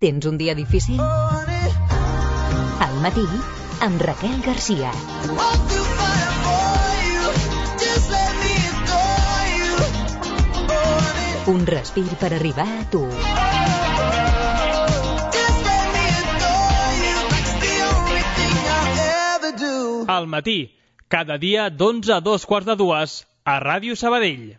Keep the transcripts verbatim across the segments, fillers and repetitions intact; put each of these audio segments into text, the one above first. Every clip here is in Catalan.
Tens un dia difícil? Al matí, amb Raquel Garcia. Un respir per arribar a tu. Al matí, cada dia d'onze a dos quarts de dues, a Ràdio Sabadell.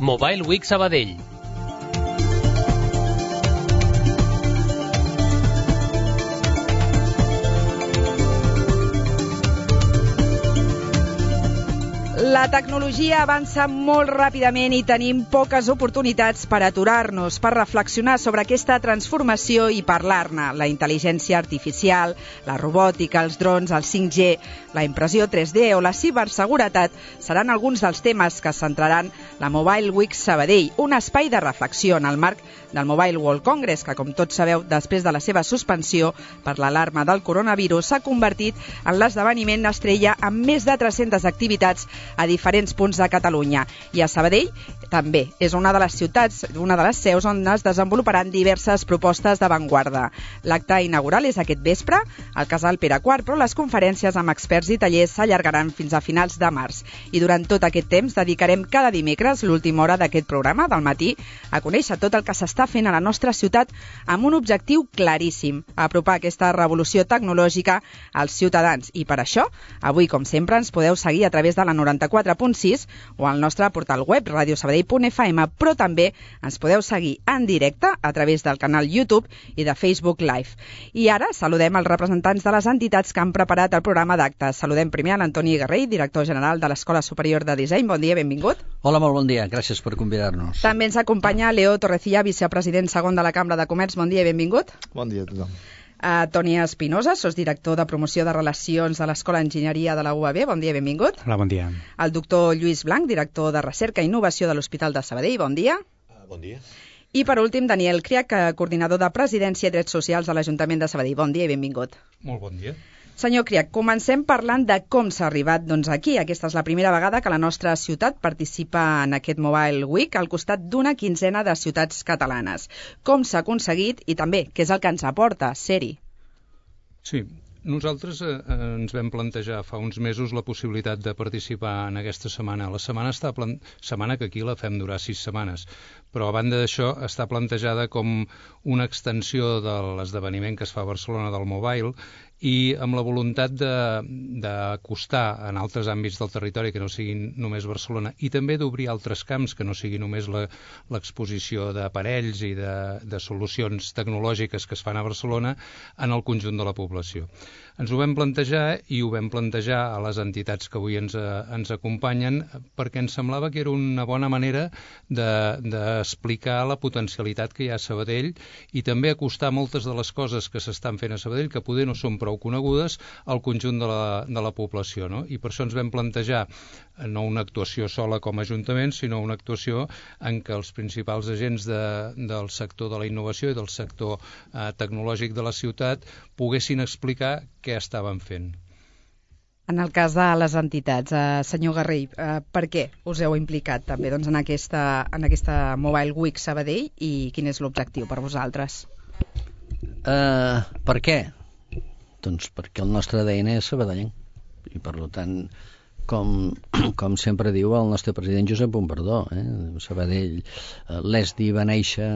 Mobile Week Sabadell. La tecnologia avança molt ràpidament i tenim poques oportunitats per aturar-nos, per reflexionar sobre aquesta transformació i parlar-ne. La intel·ligència artificial, la robòtica, els drons, el cinc G, la impressió tres D o la ciberseguretat seran alguns dels temes que centraran la Mobile Week Sabadell, un espai de reflexió en el marc del Mobile World Congress, que, com tots sabeu, després de la seva suspensió per l'alarma del coronavirus, s'ha convertit en l'esdeveniment estrella amb més de tres-centes activitats a diferents punts de Catalunya. I a Sabadell també és una de les ciutats, una de les seus on es desenvoluparan diverses propostes d'avantguarda. L'acte inaugural és aquest vespre al Casal Pere quart, però les conferències amb experts i tallers s'allargaran fins a finals de març. I durant tot aquest temps dedicarem cada dimecres l'última hora d'aquest programa del matí a conèixer tot el que s'està fent a la nostra ciutat amb un objectiu claríssim, apropar aquesta revolució tecnològica als ciutadans. I per això, avui, com sempre, ens podeu seguir a través de la noranta-quatre punt sis o al nostre portal web radio sabadell punt f m, però també ens podeu seguir en directe a través del canal YouTube i de Facebook Live. I ara saludem els representants de les entitats que han preparat el programa d'actes. Saludem primer a l'Antoni Garrell, director general de l'Escola Superior de Disseny. Bon dia, benvingut. Hola, molt bon dia. Gràcies per convidar-nos. També ens acompanya Leo Torrecilla, vicepresident segon de la Cambra de Comerç. Bon dia i benvingut. Bon dia a tothom. Uh, Toni Espinosa, sosdirector de promoció de relacions de l'Escola d'Enginyeria de la U A B. Bon dia, benvingut. Hola, bon dia. El doctor Lluís Blanc, director de recerca i innovació de l'Hospital de Sabadell. Bon dia. Uh, bon dia. I per últim, Daniel Criac, coordinador de Presidència i Drets Socials de l'Ajuntament de Sabadell. Bon dia i benvingut. Molt bon dia. Senyor Criac, comencem parlant de com s'ha arribat doncs, aquí. Aquesta és la primera vegada que la nostra ciutat participa en aquest Mobile Week al costat d'una quinzena de ciutats catalanes. Com s'ha aconseguit i també què és el que ens aporta ser-hi? Sí, nosaltres eh, ens vam plantejar fa uns mesos la possibilitat de participar en aquesta setmana. La setmana, està plan... setmana que aquí la fem durar sis setmanes, però a banda d'això està plantejada com una extensió de l'esdeveniment que es fa a Barcelona del Mobile i amb la voluntat d'acostar en altres àmbits del territori que no siguin només Barcelona i també d'obrir altres camps que no sigui només l'exposició d'aparells i de, de solucions tecnològiques que es fan a Barcelona en el conjunt de la població. Ens ho vam plantejar i ho vam plantejar a les entitats que avui ens, ens acompanyen perquè ens semblava que era una bona manera d'explicar de, la potencialitat que hi ha a Sabadell i també acostar moltes de les coses que s'estan fent a Sabadell que poder no són prou conegudes al conjunt de la, de la població, no? I per això ens vam plantejar no una actuació sola com a Ajuntament, sinó una actuació en què els principals agents de, del sector de la innovació i del sector eh, tecnològic de la ciutat poguessin explicar què estaven fent. En el cas de les entitats, eh, senyor Garrell, eh, per què us heu implicat també doncs, en, aquesta, en aquesta Mobile Week Sabadell i quin és l'objectiu per vosaltres? Uh, per què? Doncs perquè el nostre A D N és sabadellenc i per tant, com, com sempre diu el nostre president Josep Bombardó, eh? Sabadell, eh, l'E S D I va néixer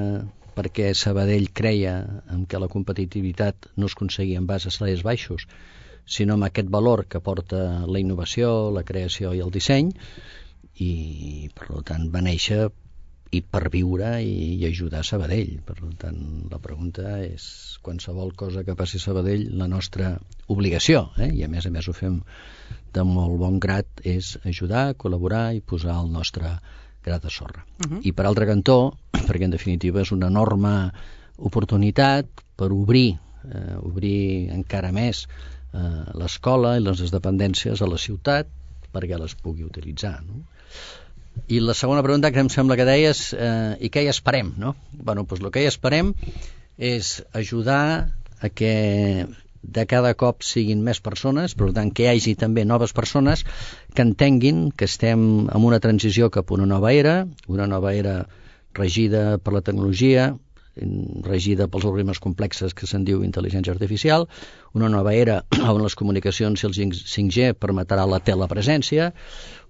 perquè Sabadell creia en que la competitivitat no es aconseguia en base a salaris baixos, sinó amb aquest valor que porta la innovació, la creació i el disseny, i per tant va néixer i per viure i, i ajudar a Sabadell. Per tant, la pregunta és qualsevol cosa que passi a Sabadell, la nostra obligació, eh? I a més a més ho fem de molt bon grat, és ajudar, col·laborar i posar el nostre gra de sorra. Uh-huh. I per altre cantó, perquè en definitiva és una enorme oportunitat per obrir eh, obrir encara més eh, l'escola i les dependències a la ciutat perquè les pugui utilitzar, no? I la segona pregunta que em sembla que deies, eh, i què hi esperem, no? Bueno, doncs el que hi esperem és ajudar a que de cada cop siguin més persones, per tant que hi hagi també noves persones que entenguin que estem en una transició cap a una nova era, una nova era regida per la tecnologia, regida pels algoritmes complexes que se'n diu intel·ligència artificial, una nova era on les comunicacions i el cinc G permetrà la telepresència,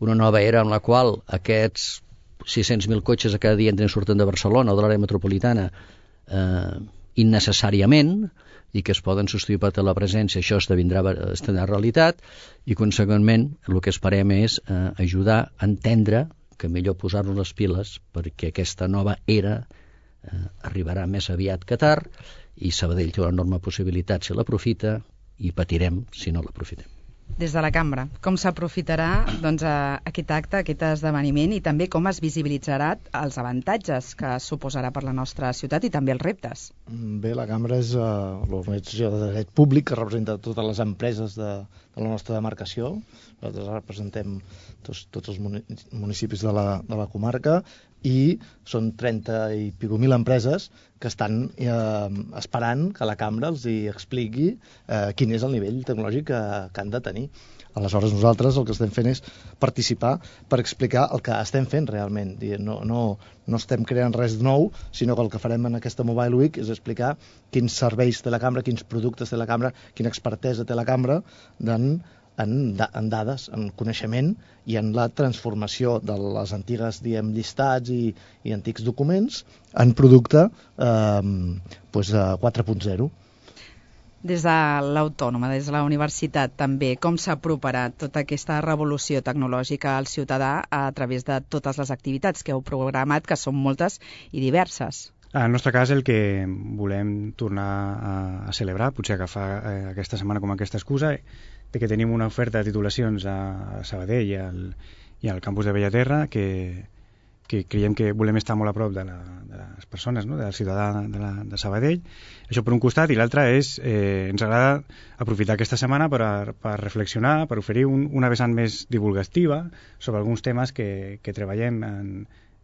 una nova era en la qual aquests sis-cents mil cotxes a cada dia entren i surten de Barcelona o de l'àrea metropolitana eh, innecessàriament, i que es poden substituir per telepresència, això esdevindrà, esdevindrà realitat, i conseqüentment el que esperem és eh, ajudar a entendre que millor posar-nos les piles perquè aquesta nova era eh, arribarà més aviat que tard, i Sabadell té una enorme possibilitat si l'aprofita, i patirem si no l'aprofitem. Des de la cambra, com s'aprofitarà doncs, aquest acte, aquest esdeveniment, i també com es visibilitzarà els avantatges que suposarà per la nostra ciutat i també els reptes? Bé, la cambra és uh, l'organització de dret públic que representa totes les empreses de, de la nostra demarcació. Nosaltres representem tots, tots els municipis de la, de la comarca, i són trenta i pico mil empreses que estan eh, esperant que la cambra els hi expliqui eh, quin és el nivell tecnològic que, que han de tenir. Aleshores nosaltres el que estem fent és participar per explicar el que estem fent realment. No, no, no estem creant res de nou, sinó que el que farem en aquesta Mobile Week és explicar quins serveis té la cambra, quins productes té la cambra, quina expertesa té la cambra en En, en dades, en coneixement i en la transformació de les antigues, diguem, llistats i, i antics documents en producte eh, pues, quatre punt zero. Des de l'Autònoma, des de la universitat també, com s'aproparà tota aquesta revolució tecnològica al ciutadà a través de totes les activitats que heu programat, que són moltes i diverses? En el nostre cas, el que volem tornar a, a celebrar, potser agafar eh, aquesta setmana com aquesta excusa, de que tenim una oferta de titulacions a Sabadell i al, i al campus de Bellaterra que, que creiem que volem estar molt a prop de, la, de les persones, no? Del ciutadà de, la, de Sabadell. Això per un costat, i l'altre és, eh, ens agrada aprofitar aquesta setmana per, a, per reflexionar, per oferir un, una vessant més divulgativa sobre alguns temes que, que treballem en,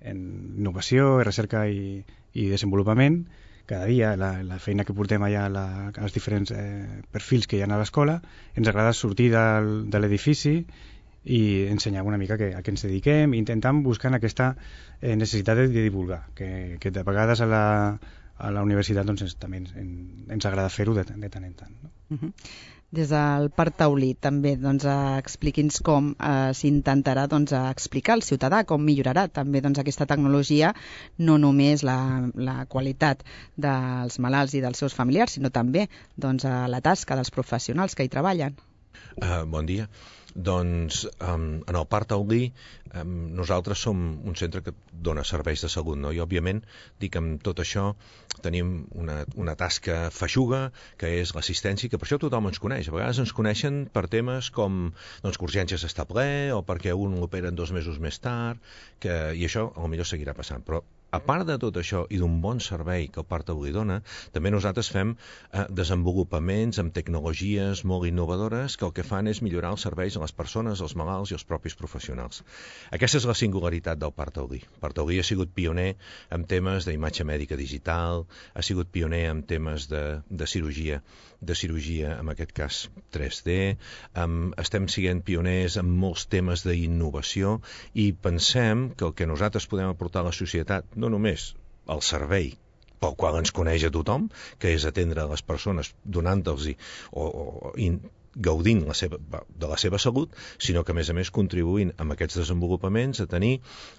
en innovació, recerca i, i desenvolupament. Cada dia, la, la feina que portem allà a la, als diferents eh, perfils que hi ha a l'escola, ens agrada sortir del, de l'edifici i ensenyar una mica que, a què ens dediquem, intentant buscar aquesta eh, necessitat de, de divulgar, que, que de vegades a la, a la universitat doncs, també ens, ens agrada fer-ho de, de tant en tant. No? Uh-huh. Des del Parc Taulí també doncs, expliqui'ns com eh, s'intentarà doncs, explicar al ciutadà com millorarà també doncs, aquesta tecnologia, no només la, la qualitat dels malalts i dels seus familiars, sinó també doncs, la tasca dels professionals que hi treballen. Uh, bon dia. Doncs um, en el Parc Taulí um, nosaltres som un centre que dona serveis de salut, no? I òbviament dic amb tot això tenim una, una tasca feixuga que és l'assistència, que per això tothom ens coneix. A vegades ens coneixen per temes com doncs, que urgències està ple o perquè un l'operen dos mesos més tard, que, i això potser seguirà passant, però a part de tot això i d'un bon servei que el Parc Taulí dona, també nosaltres fem eh, desenvolupaments amb tecnologies molt innovadores que el que fan és millorar els serveis a les persones, als malalts i als propis professionals. Aquesta és la singularitat del Parc Taulí. El Parc Taulí ha sigut pioner en temes d'imatge mèdica digital, ha sigut pioner en temes de, de cirurgia, de cirurgia, en aquest cas tres D, um, estem sent pioners en molts temes d'innovació i pensem que el que nosaltres podem aportar a la societat, no només el servei pel qual ens coneix a tothom, que és atendre les persones donant-los o, o in, gaudint la seva, de la seva salut, sinó que a més a més contribuint amb aquests desenvolupaments a tenir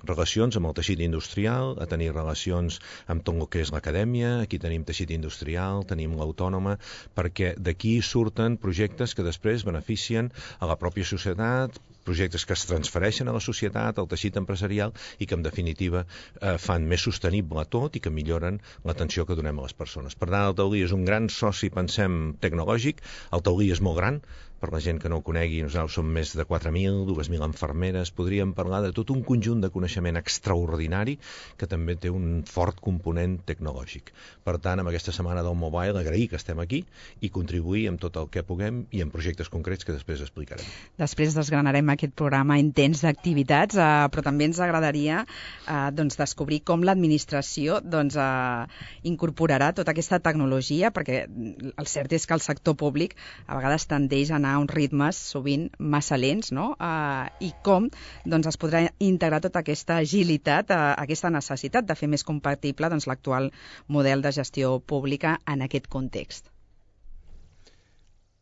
relacions amb el teixit industrial, a tenir relacions amb tot el que és l'acadèmia. Aquí tenim teixit industrial, tenim l'Autònoma, perquè d'aquí surten projectes que després beneficien a la pròpia societat, projectes que es transfereixen a la societat, al teixit empresarial i que en definitiva eh, fan més sostenible tot i que milloren l'atenció que donem a les persones. Per tant, el Taulí és un gran soci, pensem, tecnològic. El Taulí és molt gran, per la gent que no ho conegui, nosaltres som més de quatre mil, dues mil infermeres, podríem parlar de tot un conjunt de coneixement extraordinari que també té un fort component tecnològic. Per tant, amb aquesta setmana del Mobile, agrair que estem aquí i contribuir amb tot el que puguem i en projectes concrets que després explicarem. Després desgranarem aquest programa intens d'activitats, eh, però també ens agradaria eh, doncs, descobrir com l'administració doncs, eh, incorporarà tota aquesta tecnologia, perquè el cert és que el sector públic a vegades tendeix a anar a uns ritmes sovint massa lents, no? Eh, i com doncs, es podrà integrar tota aquesta agilitat, eh, aquesta necessitat de fer més compatible doncs, l'actual model de gestió pública en aquest context.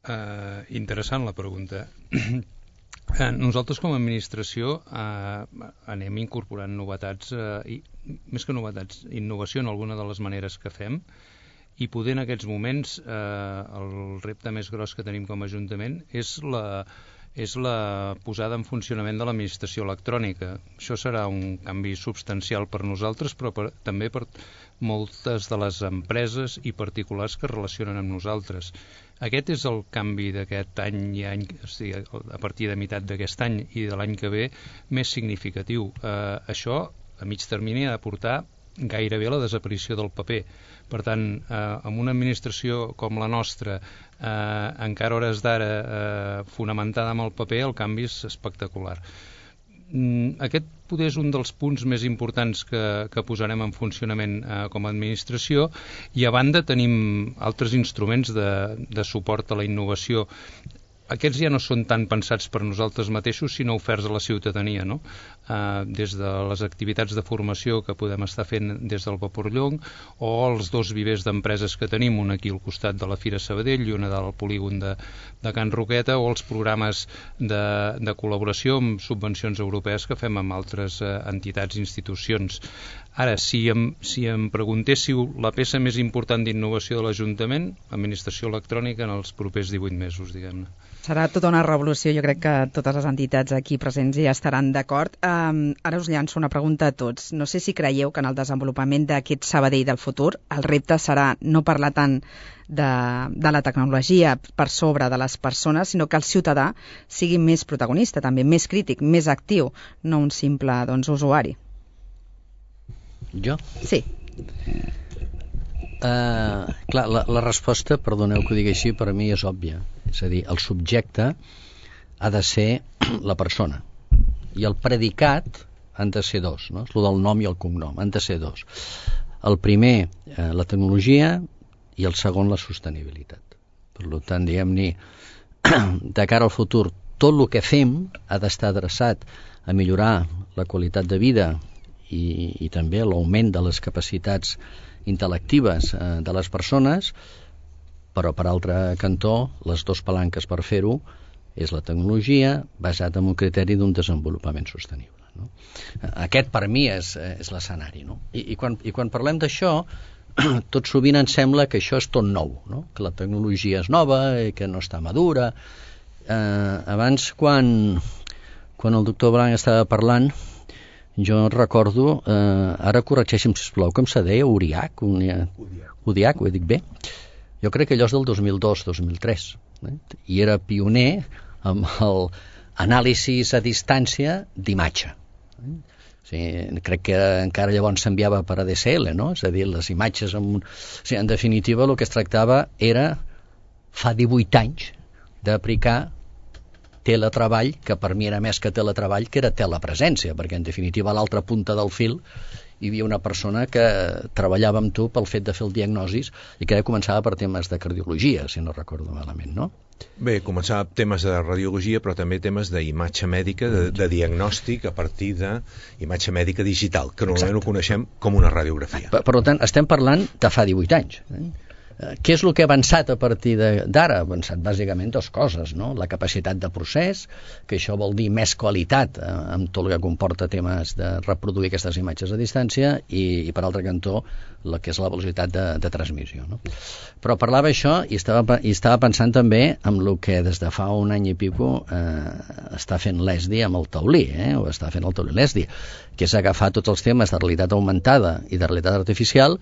Uh, interessant la pregunta. uh, nosaltres com a administració uh, anem incorporant novetats, uh, i, més que novetats, innovació en alguna de les maneres que fem, i poder en aquests moments uh, el repte més gros que tenim com a Ajuntament és la, és la posada en funcionament de l'administració electrònica. Això serà un canvi substancial per nosaltres, però per, també per moltes de les empreses i particulars que es relacionen amb nosaltres. Aquest és el canvi d'aquest any i any, o sigui, a partir de meitat d'aquest any i de l'any que ve, més significatiu. Eh, això, a mig termini, ha de portar gairebé la desaparició del paper. Per tant, eh, amb una administració com la nostra, eh, encara hores d'ara eh, fonamentada en el paper, el canvi és espectacular. Aquest poder és un dels punts més importants que, que posarem en funcionament eh, com a administració, i a banda tenim altres instruments de, de suport a la innovació. Aquests ja no són tan pensats per nosaltres mateixos, sinó oferts a la ciutadania, no? Eh, des de les activitats de formació que podem estar fent des del Vaporllong, o els dos vivers d'empreses que tenim, un aquí al costat de la Fira Sabadell i una del polígon de, de Can Roqueta, o els programes de, de col·laboració amb subvencions europees que fem amb altres eh, entitats i institucions. Ara, si em, si em preguntéssiu la peça més important d'innovació de l'Ajuntament, administració electrònica en els propers divuit mesos, diguem-ne. Serà tota una revolució, jo crec que totes les entitats aquí presents ja estaran d'acord. Um, ara us llanço una pregunta a tots. No sé si creieu que en el desenvolupament d'aquest Sabadell del futur el repte serà no parlar tant de, de la tecnologia per sobre de les persones, sinó que el ciutadà sigui més protagonista, també més crític, més actiu, no un simple doncs, usuari. Jo? Sí. Uh, clar, la, la resposta, perdoneu que ho digui així, per a mi és òbvia. És a dir, el subjecte ha de ser la persona i el predicat han de ser dos, no? És el del nom i el cognom, han de ser dos. El primer, eh, la tecnologia, i el segon, la sostenibilitat. Per tant, diguem-ne, de cara al futur, tot el que fem ha d'estar adreçat a millorar la qualitat de vida i, i també l'augment de les capacitats intel·lectives eh, de les persones, però per altre cantó, les dues palanques per fer-ho és la tecnologia basat en un criteri d'un desenvolupament sostenible, no? Aquest per mi és, és l'escenari, no? I, i, quan, i quan parlem d'això, tot sovint ens sembla que això és tot nou, no? Que la tecnologia és nova i que no està madura. Eh, abans, quan, quan el doctor Blanc estava parlant, jo recordo, eh, ara corregeixi'm sisplau, com se deia, Uriac? Uriac, ho he dit bé? Jo crec que allò és del dos mil dos dos mil tres, eh? I era pioner amb l'anàlisis a distància d'imatge. Eh? O sigui, crec que encara llavors s'enviava per A D S L, no? És a dir, les imatges amb... O sigui, en definitiva, el que es tractava era, fa divuit anys, d'aplicar teletreball, que per mi era més que teletreball, que era telepresència, perquè en definitiva a l'altra punta del fil hi havia una persona que treballava amb tu pel fet de fer el diagnosis i que començava per temes de cardiologia, si no recordo malament, no? Bé, començava temes de radiologia, però també temes d'imatge mèdica, de, de diagnòstic a partir d'imatge mèdica digital, que normalment Exacte. Ho coneixem com una radiografia. Per, per tant, estem parlant de fa divuit anys. Eh? Què és el que ha avançat a partir d'ara? Ha avançat bàsicament dues coses, no? La capacitat de procés, que això vol dir més qualitat eh, amb tot el que comporta temes de reproduir aquestes imatges a distància i, i per altre cantó, la que és la velocitat de, de transmissió, no? Però parlava això i estava, i estava pensant també en el que des de fa un any i pico eh, està fent l'E S D I amb el taulí, eh? o està fent el taulí l'E S D I, que és agafar tots els temes de realitat augmentada i de realitat artificial,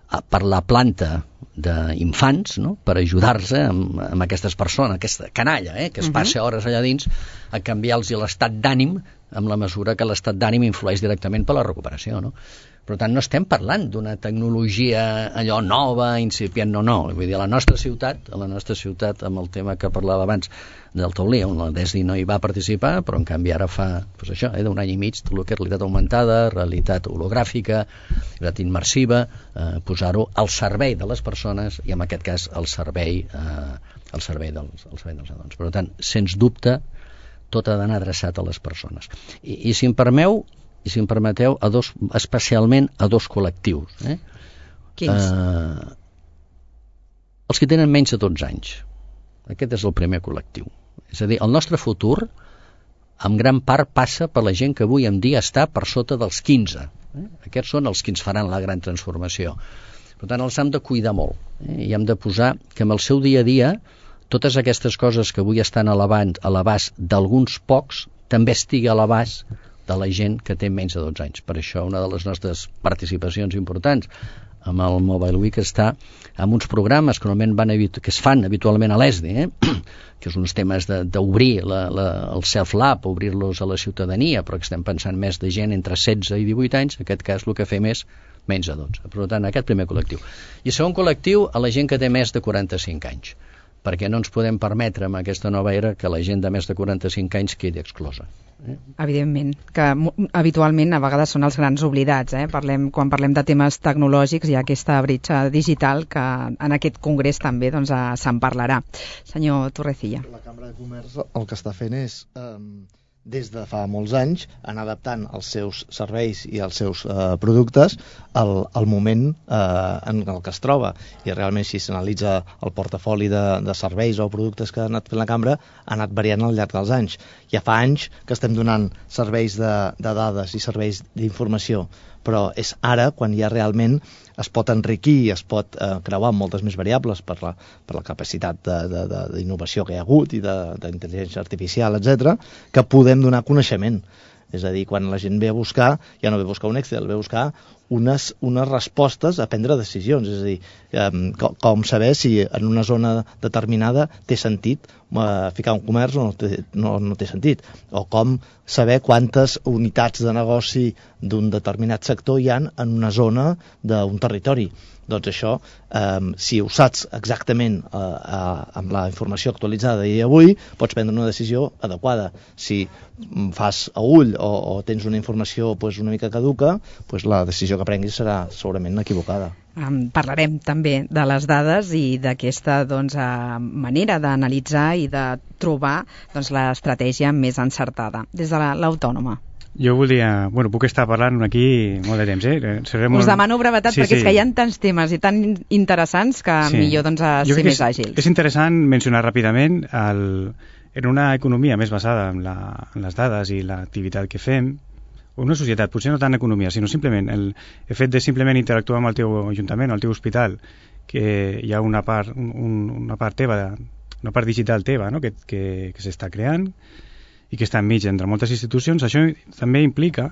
per la planta d'infants, no? Per ajudar-se amb, amb aquestes persones, aquesta canalla, eh? Que es passa hores allà dins a canviar-los l'estat d'ànim amb la mesura que l'estat d'ànim influeix directament per la recuperació, no? Per tant, no estem parlant d'una tecnologia allò nova, incipient, no, no. Vull dir, a la nostra ciutat, a la nostra ciutat, amb el tema que parlava abans del taulí, on la D E S D I no hi va participar, però en canvi ara fa, doncs això, eh, d'un any i mig, tot el que és realitat augmentada, realitat hologràfica, realitat immersiva, eh, posar-ho al servei de les persones i en aquest cas al servei, eh, al servei dels, al servei dels nadons. Per tant, sens dubte, tot ha d'anar adreçat a les persones. I, i si em permeu, i si em permeteu, a dos, especialment a dos col·lectius. Eh? Quins? Uh, els que tenen menys de dotze anys. Aquest és el primer col·lectiu. És a dir, el nostre futur, en gran part, passa per la gent que avui en dia està per sota dels quinze. Eh? Aquests són els que ens faran la gran transformació. Per tant, els hem de cuidar molt. Eh? I hem de posar que amb el seu dia a dia totes aquestes coses que avui estan a l'abast d'alguns pocs també estigui a l'abast de la gent que té menys de dotze anys. Per això una de les nostres participacions importants amb el Mobile Week està amb uns programes que normalment van que es fan habitualment a l'E S D I, eh? Que són uns temes d'obrir el self-lab, obrir-los a la ciutadania, però que estem pensant més de gent entre setze i divuit anys, en aquest cas el que fem és menys de dotze. Per tant, aquest primer col·lectiu. I segon col·lectiu, a la gent que té més de quaranta-cinc anys, perquè no ens podem permetre amb aquesta nova era que la gent de més de quaranta-cinc anys quedi exclosa. Eh? Evidentment, que habitualment a vegades són els grans oblidats. Eh? Parlem, quan parlem de temes tecnològics hi ha aquesta bretxa digital que en aquest congrés també doncs, se'n parlarà. Senyor Torrecilla. La Cambra de Comerç el que està fent és... Eh... des de fa molts anys, anar adaptant els seus serveis i els seus eh, productes al, al moment eh, en el que es troba. I realment, si s'analitza el portafoli de, de serveis o productes que ha anat fent la cambra, ha anat variant al llarg dels anys. Ja fa anys que estem donant serveis de, de dades i serveis d'informació, però és ara quan ja realment es pot enriquir i es pot eh, creuar amb moltes més variables per la, per la capacitat d'innovació que hi ha hagut i d'intel·ligència artificial, etcètera, que podem donar coneixement. És a dir, quan la gent ve a buscar, ja no ve a buscar un Excel, ve a buscar unes, unes respostes a prendre decisions. És a dir, eh, com, com saber si en una zona determinada té sentit eh, ficar un comerç o no té, no, no té sentit. O com saber quantes unitats de negoci d'un determinat sector hi ha en una zona d'un territori. Doncs això, eh, si ho saps exactament eh, eh, amb la informació actualitzada i avui, pots prendre una decisió adequada. Si fas a ull o, o tens una informació pues, una mica caduca, pues, la decisió que prenguis serà segurament equivocada. Um, parlarem també de les dades i d'aquesta doncs, uh, manera d'analitzar i de trobar doncs, l'estratègia més encertada. Des de l'autònoma. Jo voldria... Bueno, puc estar parlant aquí molt de temps, eh? Seré molt... Us demano brevetat sí, perquè sí. És que hi ha tants temes i tan interessants que sí. Millor doncs, a ser més àgils. És interessant mencionar ràpidament el, en una economia més basada en, la, en les dades i l'activitat que fem, una societat, potser no tant economia, sinó simplement el, el fet de simplement interactuar amb el teu ajuntament, el teu hospital, que hi ha una part, un, una part teva, una part digital teva, no? que, que, que s'està creant, i que està enmig entre moltes institucions. Això també implica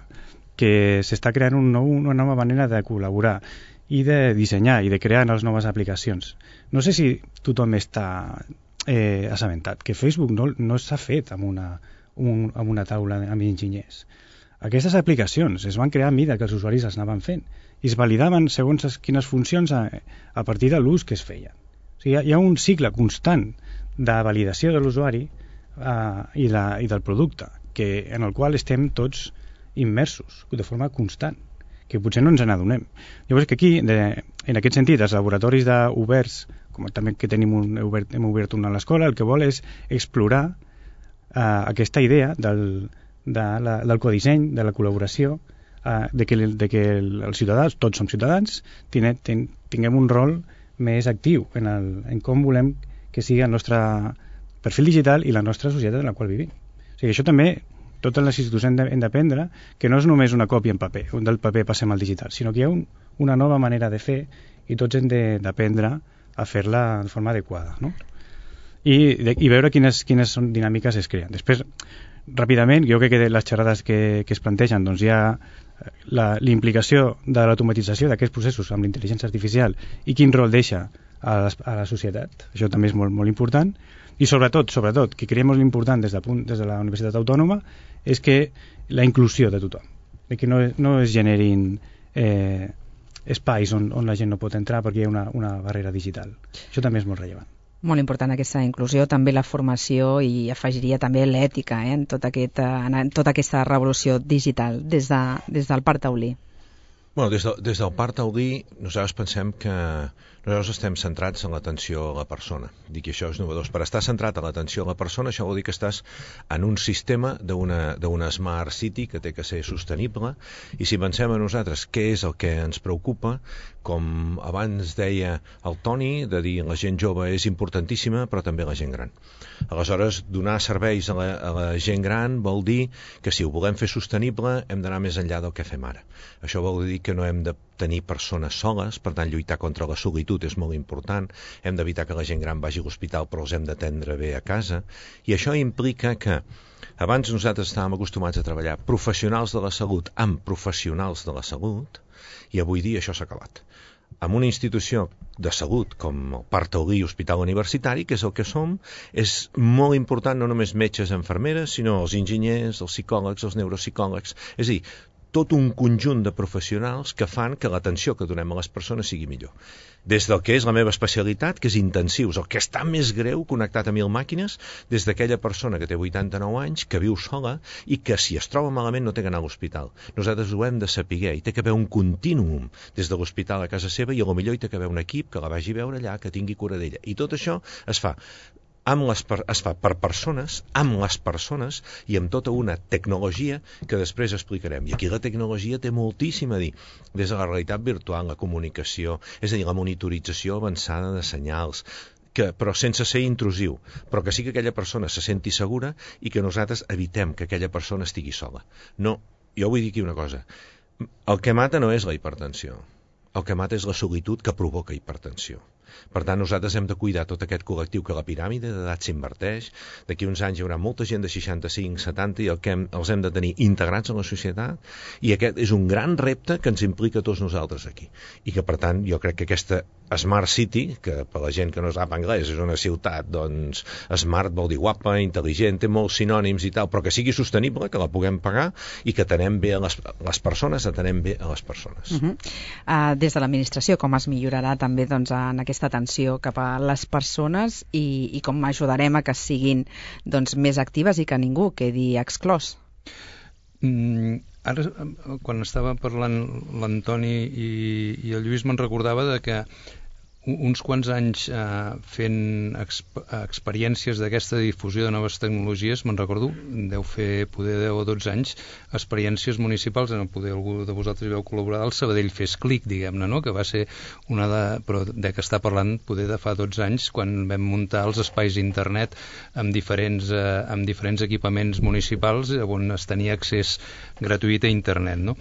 que s'està creant un nou, una nova manera de col·laborar i de dissenyar i de crear les noves aplicacions. No sé si tothom està eh, assabentat que Facebook no, no s'ha fet amb una, un, amb una taula amb enginyers. Aquestes aplicacions es van crear a mida que els usuaris les anaven fent i es validaven segons quines funcions a, a partir de l'ús que es feia. O sigui, hi ha un cicle constant de validació de l'usuari Uh, i, la, i del producte que, en el qual estem tots immersos de forma constant, que potser no ens n'adonem. Llavors que aquí, de, en aquest sentit, els laboratoris de oberts, com també que tenim un, obert, hem obert una a l'escola, el que vol és explorar uh, aquesta idea del, de la, del codisseny, de la col·laboració, uh, de que, de que els ciutadans, tots som ciutadans, tine, ten, tinguem un rol més actiu en, el, en com volem que sigui el nostre perfil digital i la nostra societat en la qual vivim. O sigui, això també, totes les institucions hem d'aprendre que no és només una còpia en paper, del paper passem al digital, sinó que hi ha un, una nova manera de fer i tots hem d'aprendre a fer-la de forma adequada, no? I, de, i veure quines, quines són dinàmiques es creen. Després, ràpidament, jo crec que les xerrades que, que es plantegen, doncs hi ha la, la implicació de l'automatització d'aquests processos amb l'intel·ligència artificial i quin rol deixa a la, a la societat. Això també és molt, molt important. I sobretot, sobretot, que creiem molt important des de, des de la Universitat Autònoma és que la inclusió de tothom, de que no, no es generin eh, espais on, on la gent no pot entrar perquè hi ha una, una barrera digital. Això també és molt rellevant. Molt important aquesta inclusió, també la formació i afegiria també l'ètica eh, en, tot aquest, en tota aquesta revolució digital des, de, des del Parc Taulí. Bueno, des, de, des del Parc Taulí nosaltres pensem que nosaltres estem centrats en l'atenció a la persona. Dic que això és novedós. Per estar centrat en l'atenció a la persona, això vol dir que estàs en un sistema d'una Smart City que té que ser sostenible, i si pensem a nosaltres què és el que ens preocupa, com abans deia el Toni, de dir la gent jove és importantíssima, però també la gent gran. Aleshores, donar serveis a la, a la gent gran vol dir que si ho volem fer sostenible hem d'anar més enllà del que fem ara. Això vol dir que no hem de tenir persones soles, per tant lluitar contra la solitud és molt important, hem d'evitar que la gent gran vagi a l'hospital però els hem d'atendre bé a casa, i això implica que abans nosaltres estàvem acostumats a treballar professionals de la salut amb professionals de la salut, i avui dia això s'ha acabat. Amb una institució de salut com el Parc Taulí Hospital Universitari, que és el que som, és molt important no només metges, infermeres, sinó els enginyers, els psicòlegs, els neuropsicòlegs, és a dir, tot un conjunt de professionals que fan que l'atenció que donem a les persones sigui millor. Des del que és la meva especialitat, que és intensius, el que està més greu connectat a mil màquines, des d'aquella persona que té vuitanta-nou anys, que viu sola i que si es troba malament no té que anar a l'hospital. Nosaltres ho hem de saber, i té que haver un contínuum des de l'hospital a casa seva, i a lo millor hi té que haver un equip que la vagi a veure allà, que tingui cura d'ella. I tot això es fa amb les, es fa per persones, amb les persones i amb tota una tecnologia que després explicarem. I aquí la tecnologia té moltíssim a dir, des de la realitat virtual, la comunicació, és a dir, la monitorització avançada de senyals, que, però sense ser intrusiu, però que sí que aquella persona se senti segura i que nosaltres evitem que aquella persona estigui sola. No, jo vull dir aquí una cosa, el que mata no és la hipertensió, el que mata és la solitud que provoca hipertensió. Per tant, nosaltres hem de cuidar tot aquest col·lectiu que la piràmide d'edat s'inverteix. D'aquí uns anys hi haurà molta gent de seixanta-cinc, setanta i el que hem, els hem de tenir integrats en la societat, i aquest és un gran repte que ens implica a tots nosaltres aquí. I que, per tant, jo crec que aquesta Smart City, que per la gent que no sap anglès és una ciutat, doncs smart vol dir guapa, intel·ligent, té molts sinònims i tal, però que sigui sostenible, que la puguem pagar i que atenem bé a les, les persones, atenem bé a les persones. Uh -huh. uh, des de l'administració, com es millorarà també doncs, en aquesta atenció cap a les persones i, i com ajudarem a que siguin doncs, més actives i que ningú quedi exclòs? Mm, ara, quan estava parlant l'Antoni i, i el Lluís, me'n recordava de que uns quants anys eh, fent exp experiències d'aquesta difusió de noves tecnologies, me'n recordo, deu fer poder deu o dotze anys, experiències municipals, en el poder algú de vosaltres veu col·laborar, el Sabadell Fes Clic, diguem-ne, no? Que va ser una de... però de què està parlant poder de fa dotze anys, quan vam muntar els espais d'internet amb diferents, eh, amb diferents equipaments municipals on es tenia accés gratuït a internet, no?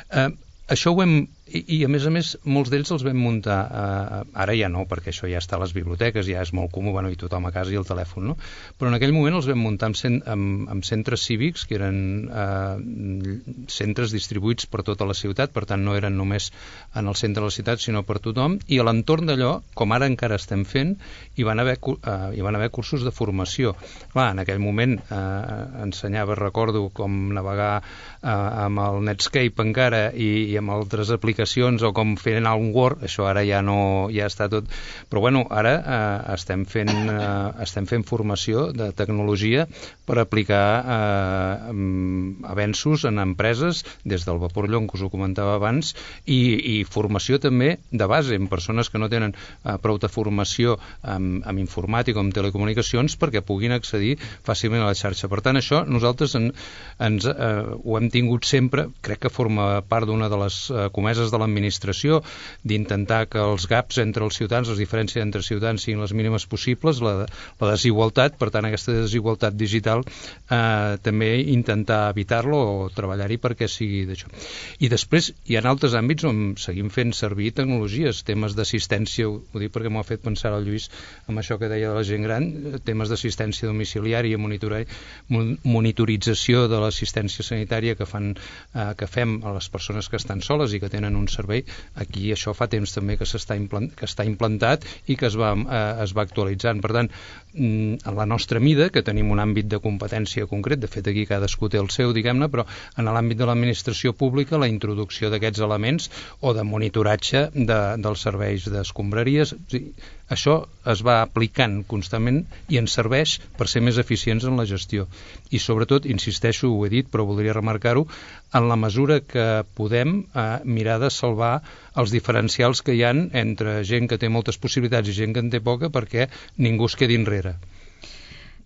Eh, això ho hem... I, i a més a més molts d'ells els vam muntar eh, ara ja no, perquè això ja està a les biblioteques, ja és molt comú, bueno, i tothom a casa i el telèfon, no? Però en aquell moment els vam muntar amb, cent, amb, amb centres cívics que eren eh, centres distribuïts per tota la ciutat, per tant no eren només en el centre de la ciutat sinó per tothom, i a l'entorn d'allò, com ara encara estem fent, hi van haver, eh, hi van haver cursos de formació. Clar, en aquell moment eh, ensenyava, recordo, com navegar eh, amb el Netscape encara i, i amb altres aplicacions o com fer anar un Word, això ara ja no, ja està tot, però bueno, ara eh, estem fent eh, estem fent formació de tecnologia per aplicar eh, avenços en empreses, des del Vaporllon que us ho comentava abans, i, i formació també de base, en persones que no tenen eh, prou de formació amb, amb informàtica o amb telecomunicacions perquè puguin accedir fàcilment a la xarxa. Per tant, això nosaltres en, ens, eh, ho hem tingut sempre, crec que forma part d'una de les eh, comeses bases de l'administració, d'intentar que els gaps entre els ciutadans, les diferències entre ciutadans siguin les mínimes possibles, la, la desigualtat, per tant aquesta desigualtat digital eh, també intentar evitar-lo o treballar-hi perquè sigui d'això. I després hi ha altres àmbits on seguim fent servir tecnologies, temes d'assistència, ho dic perquè m'ho ha fet pensar el Lluís amb això que deia de la gent gran, temes d'assistència domiciliària, monitorització de l'assistència sanitària que fan eh, que fem a les persones que estan soles i que tenen un servei. Aquí això fa temps també que s'està implant, que està implantat i que es va, eh, es va actualitzant. Per tant, en la nostra mida, que tenim un àmbit de competència concret, de fet aquí cadascú té el seu, diguem-ne, però en l'àmbit de l'administració pública la introducció d'aquests elements o de monitoratge de, dels serveis d'escombraries, això es va aplicant constantment i ens serveix per ser més eficients en la gestió. I sobretot, insisteixo, ho he dit, però voldria remarcar-ho, en la mesura que podem eh, mirar de salvar els diferencials que hi ha entre gent que té moltes possibilitats i gent que en té poca perquè ningú es quedi enrere.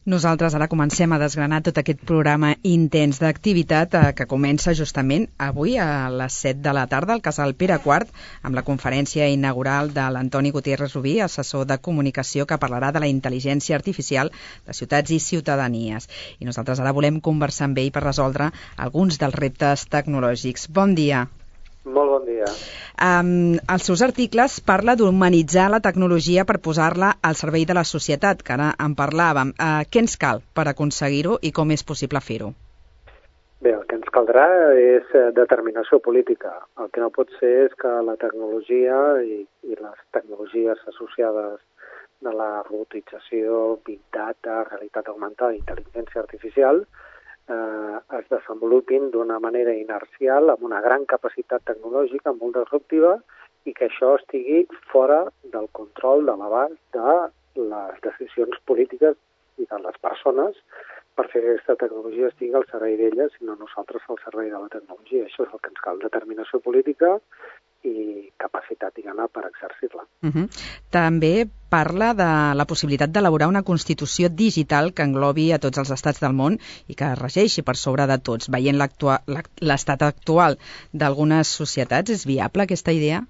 Nosaltres ara comencem a desgranar tot aquest programa intens d'activitat eh, que comença justament avui a les set de la tarda al Casal Pere quart amb la conferència inaugural de l'Antoni Gutiérrez Rubí, assessor de comunicació, que parlarà de la intel·ligència artificial de ciutats i ciutadanies. I nosaltres ara volem conversar amb ell per resoldre alguns dels reptes tecnològics. Bon dia. Molt bon dia. Um, els seus articles parla d'humanitzar la tecnologia per posar-la al servei de la societat, que ara en parlàvem. Uh, què ens cal per aconseguir-ho i com és possible fer-ho? Bé, el que ens caldrà és determinació política. El que no pot ser és que la tecnologia i, i les tecnologies associades de la robotització, big data, realitat augmentada, intel·ligència artificial, Eh, es desenvolupin d'una manera inercial, amb una gran capacitat tecnològica, molt disruptiva, i que això estigui fora del control, de l'abast de les decisions polítiques i de les persones per fer que aquesta tecnologia estigui al servei d'elles i no nosaltres al servei de la tecnologia. Això és el que ens cal, determinació política i capacitat, diguem-ne, per exercir-la. Uh -huh. També parla de la possibilitat d'elaborar una constitució digital que englobi a tots els estats del món i que regeixi per sobre de tots. Veient l'estat actual d'algunes societats, és viable aquesta idea?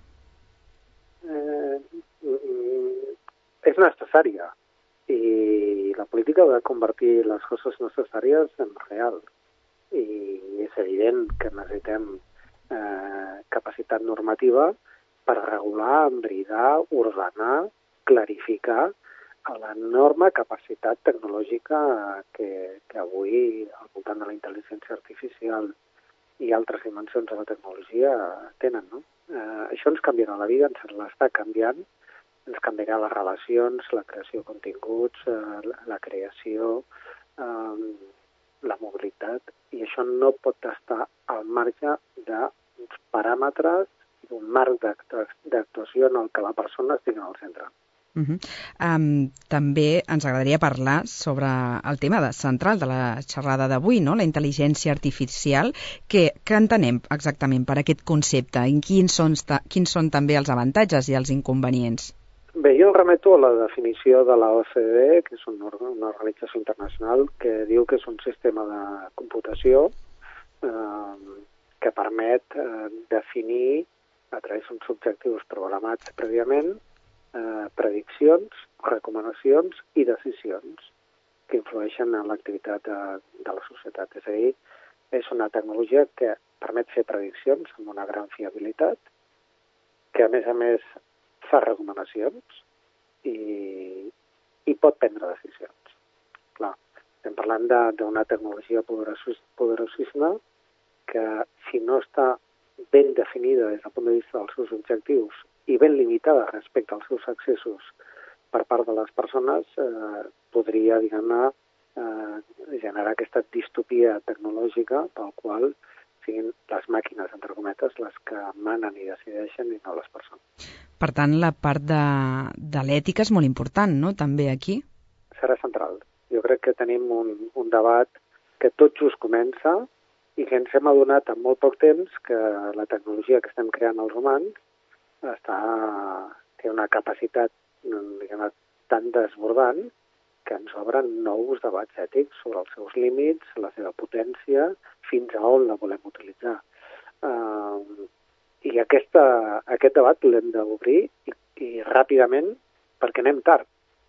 Eh, és necessària i la política ha de convertir les coses necessàries en real. I és evident que necessitem Eh, capacitat normativa per regular, embridar, ordenar, clarificar l'enorme capacitat tecnològica que, que avui al voltant de la intel·ligència artificial i altres dimensions de la tecnologia tenen, no? Eh, això ens canviarà la vida, ens l'està canviant, ens canviarà les relacions, la creació de continguts, eh, la, la creació, eh, la mobilitat, i això no pot estar al marge d'uns paràmetres i d'un marc d'actuació en el que la persona estigui al centre. Uh -huh. um, també ens agradaria parlar sobre el tema de, central de la xerrada d'avui, no? La intel·ligència artificial. Què, què entenem exactament per aquest concepte? I quins són, quins són també els avantatges i els inconvenients? Bé, jo remeto a la definició de la O C D E, que és una, una organització internacional que diu que és un sistema de computació eh, que permet eh, definir a través d'uns objectius programats prèviament eh, prediccions, recomanacions i decisions que influeixen en l'activitat de, de la societat. És a dir, és una tecnologia que permet fer prediccions amb una gran fiabilitat, que a més a més fa recomanacions i, i pot prendre decisions. Clar, estem parlant d'una tecnologia poderosíssima que, si no està ben definida des del punt de vista dels seus objectius i ben limitada respecte als seus accessos per part de les persones, eh, podria, diguem-ne, eh, generar aquesta distopia tecnològica pel qual siguin les màquines, entre cometes, les que manen i decideixen i no les persones. Per tant, la part de, de l'ètica és molt important, no?, també aquí? Serà central. Jo crec que tenim un, un debat que tot just comença i que ens hem adonat en molt poc temps que la tecnologia que estem creant els humans està, té una capacitat, diguem, tan desbordant que ens obren nous debats ètics sobre els seus límits, la seva potència, fins a on la volem utilitzar. Uh, I aquesta, aquest debat l'hem d'obrir i, i ràpidament, perquè anem tard.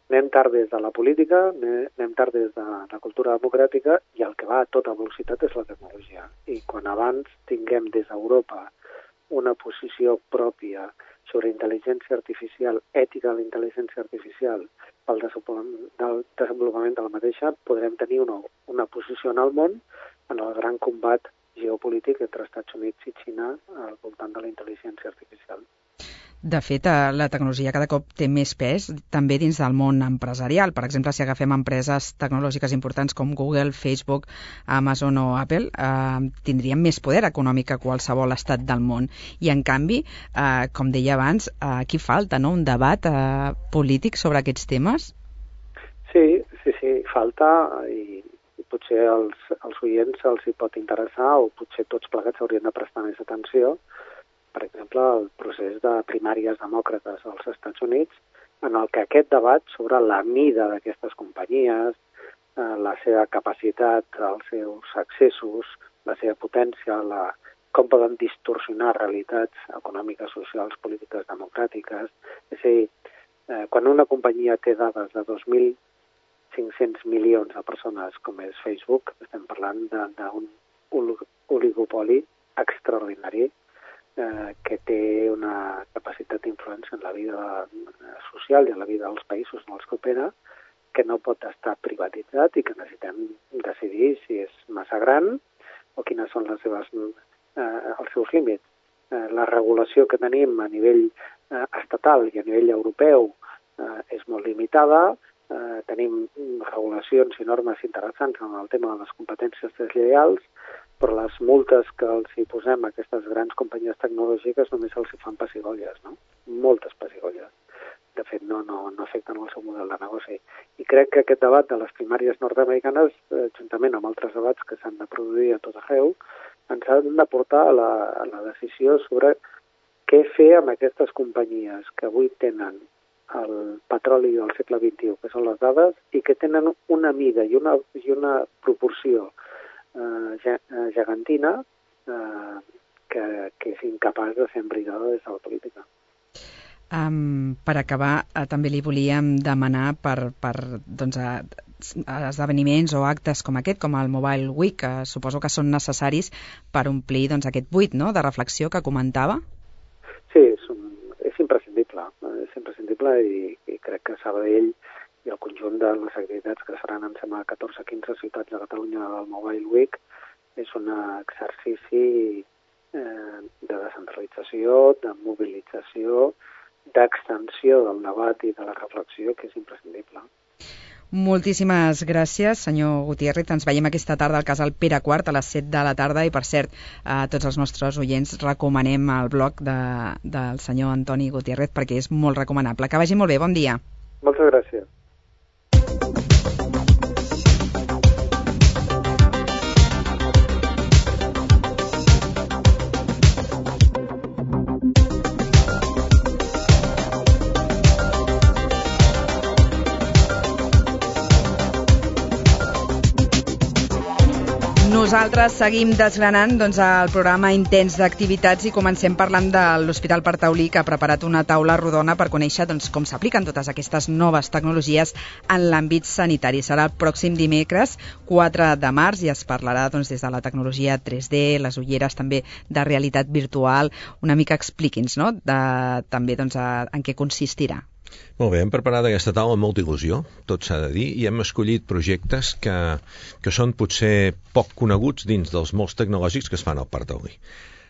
Anem tard des de la política, anem tard des de la cultura democràtica, i el que va a tota velocitat és la tecnologia. I quan abans tinguem des d'Europa una posició pròpia sobre intel·ligència artificial, ètica de la intel·ligència artificial, pel desenvolupament de la mateixa, podrem tenir una, una posició en el món en el gran combat geopolític entre Estats Units i Xina al voltant de la intel·ligència artificial. De fet, la tecnologia cada cop té més pes també dins del món empresarial. Per exemple, si agafem empreses tecnològiques importants com Google, Facebook, Amazon o Apple, eh, tindrien més poder econòmic que qualsevol estat del món. I, en canvi, eh, com deia abans, eh, aquí falta, no?, un debat eh, polític sobre aquests temes? Sí, sí, sí, falta, i potser als, als oients els hi pot interessar, o potser tots plegats haurien de prestar més atenció. Per exemple, el procés de primàries demòcrates als Estats Units, en el que aquest debat sobre la mida d'aquestes companyies, eh, la seva capacitat, els seus accessos, la seva potència, la, com poden distorsionar realitats econòmiques, socials, polítiques, democràtiques. És a dir, eh, quan una companyia té dades de dos mil cinc-cents milions de persones, com és Facebook, estem parlant d'un oligopoli extraordinari, Eh, que té una capacitat d'influència en la vida social i en la vida dels països en els que opera, que no pot estar privatitzat i que necessitem decidir si és massa gran o quines són les seves, eh, els seus límits. Eh, la regulació que tenim a nivell eh, estatal i a nivell europeu eh, és molt limitada. Eh, tenim regulacions i normes interessants en el tema de les competències deslleials, però les multes que els hi posem a aquestes grans companyies tecnològiques només els hi fan pessigolles, no? Moltes pessigolles. De fet, no, no, no afecten el seu model de negoci. I crec que aquest debat de les primàries nord-americanes, eh, juntament amb altres debats que s'han de produir a tot arreu, ens han de portar a la, a la decisió sobre què fer amb aquestes companyies que avui tenen el petroli del segle vint-i-u, que són les dades, i que tenen una mida i una, i una proporció eh, gegantina eh, que, que és incapaç de ser embridada des de la política. Um, per acabar, uh, també li volíem demanar per, per doncs, uh, esdeveniments o actes com aquest, com el Mobile Week, que suposo que són necessaris per omplir doncs, aquest buit, no?, de reflexió que comentava. Sí, és, un, és imprescindible, és imprescindible i, i crec que Sabadell i el conjunt de les activitats que seran, em sembla, catorze o quinze ciutats de Catalunya del Mobile Week és un exercici eh, de descentralització, de mobilització, d'extensió del debat i de la reflexió, que és imprescindible. Moltíssimes gràcies, senyor Gutiérrez. Ens veiem aquesta tarda al Casal Pere quart a les set de la tarda i, per cert, a tots els nostres oients recomanem el blog de, del senyor Antoni Gutiérrez perquè és molt recomanable. Que vagi molt bé, bon dia. Moltes gràcies. Nosaltres seguim desgranant doncs, el programa intens d'activitats i comencem parlant de l'Hospital Partaulí, que ha preparat una taula rodona per conèixer doncs, com s'apliquen totes aquestes noves tecnologies en l'àmbit sanitari. Serà el pròxim dimecres, quatre de març, i es parlarà doncs, des de la tecnologia tres D, les ulleres també de realitat virtual. Una mica expliqui'ns, no?, de, també doncs, a, en què consistirà. Molt bé, hem preparat aquesta taula amb molta il·lusió, tot s'ha de dir, i hem escollit projectes que, que són potser poc coneguts dins dels molts tecnològics que es fan al Partaulí.